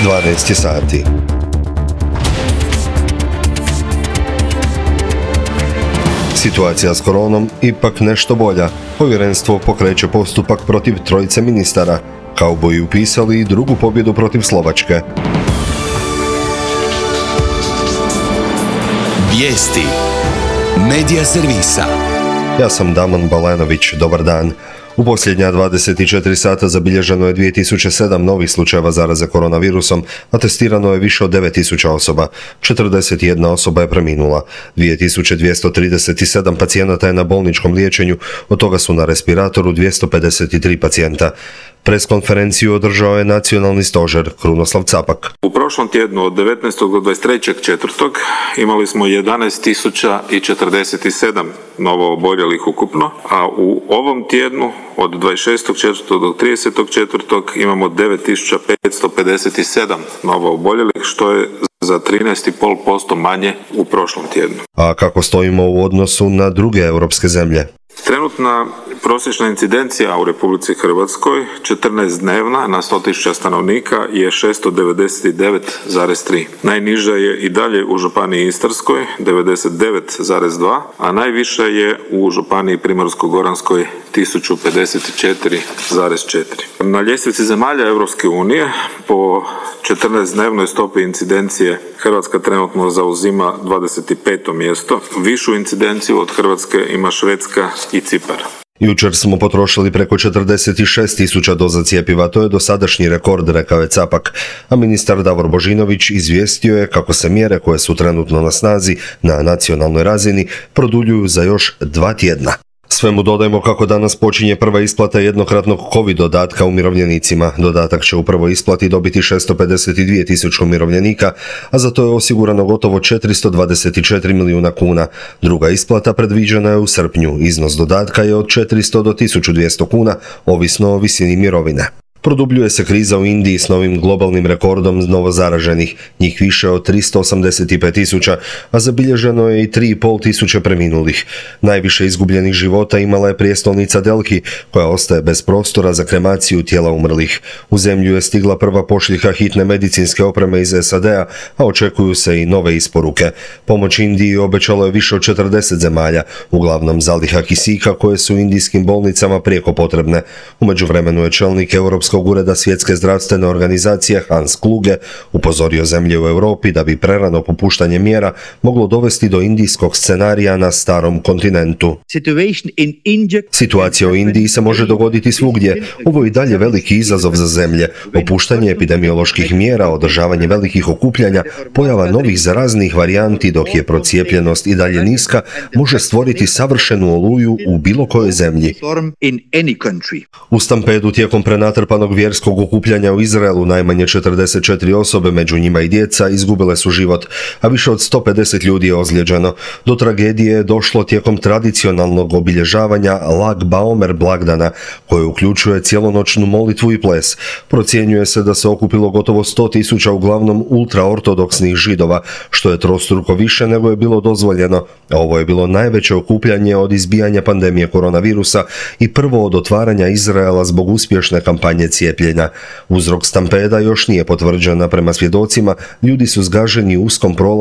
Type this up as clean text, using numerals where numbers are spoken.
12 sati. Situacija s koronom ipak nešto bolja. Povjerenstvo pokreće postupak protiv trojice ministara. Kauboji upisali i drugu pobjedu protiv Slovačke. Vijesti Medija servisa. Ja sam Damon Balanović, dobar dan. U posljednja 24 sata zabilježeno je 2007 novih slučajeva zaraze koronavirusom, a testirano je više od 9000 osoba. 41 osoba je preminula. 2237 pacijenata je na bolničkom liječenju, od toga su na respiratoru 253 pacijenta. Preskonferenciju održao je nacionalni stožer Krunoslav Capak. U prošlom tjednu od 19. do 23.4. imali smo 11.047 novo oboljelih ukupno, a u ovom tjednu od 26.4. do 30.4. imamo 9.557 novo oboljelih, što je za 13,5% manje u prošlom tjednu. A kako stojimo u odnosu na druge europske zemlje? Trenutna prosječna incidencija u Republici Hrvatskoj, 14-dnevna na 100.000 stanovnika, je 699,3. Najniža je i dalje u županiji Istarskoj, 99,2, a najviša je u županiji Primorsko-goranskoj, 1054,4. Na ljestvici zemalja Europske unije po 14-dnevnoj stopi incidencije Hrvatska trenutno zauzima 25. mjesto. Višu incidenciju od Hrvatske ima Švedska i Cipar. Jučer smo potrošili preko 46.000 doza cjepiva, to je dosadašnji rekord, rekao je Capak, a ministar Davor Božinović izvijestio je kako se mjere koje su trenutno na snazi na nacionalnoj razini produljuju za još 2 tjedna. Svemu dodajmo kako danas počinje prva isplata jednokratnog COVID dodatka umirovljenicima. Dodatak će u prvoj isplati dobiti 652.000 umirovljenika, a za to je osigurano gotovo 424 milijuna kuna. Druga isplata predviđena je u srpnju. Iznos dodatka je od 400 do 1200 kuna, ovisno o visini mirovine. Produbljuje se kriza u Indiji s novim globalnim rekordom novozaraženih, njih više od 385.000, a zabilježeno je i 3.500 preminulih. Najviše izgubljenih života imala je prijestolnica Delhi, koja ostaje bez prostora za kremaciju tijela umrlih. U zemlju je stigla prva pošiljka hitne medicinske opreme iz SAD-a, a očekuju se i nove isporuke. Pomoć Indiji obećalo je više od 40 zemalja, uglavnom zaliha kisika koje su indijskim bolnicama prijeko potrebne. U međuvremenu je čelnik Europskog ureda Svjetske zdravstvene organizacije Hans Kluge upozorio zemlje u Europi da bi prerano popuštanje mjera moglo dovesti do indijskog scenarija na starom kontinentu. Situacija u Indiji se može dogoditi svugdje. Ovo je i dalje veliki izazov za zemlje. Opuštanje epidemioloških mjera, održavanje velikih okupljanja, pojava novih zaraznih varijanti dok je procijepljenost i dalje niska, može stvoriti savršenu oluju u bilo kojoj zemlji. U stampedu tijekom prenatrpanog vjerskog okupljanja u Izraelu najmanje 44 osobe, među njima i djeca, izgubile su život, a više od 150 ljudi je ozlijeđeno. Do tragedije je došlo tijekom tradicionalnog obilježavanja Lag Baomer blagdana, koje uključuje cijelonoćnu molitvu i ples. Procjenjuje se da se okupilo gotovo 100.000 uglavnom ultraortodoksnih Židova, što je trostruko više nego je bilo dozvoljeno. Ovo je bilo najveće okupljanje od izbijanja pandemije koronavirusa i prvo od otvaranja Izraela zbog uspješne kampanje cijepljenja. Uzrok stampeda još nije potvrđen, prema svjedocima ljudi su zgaženi u uskom prolazu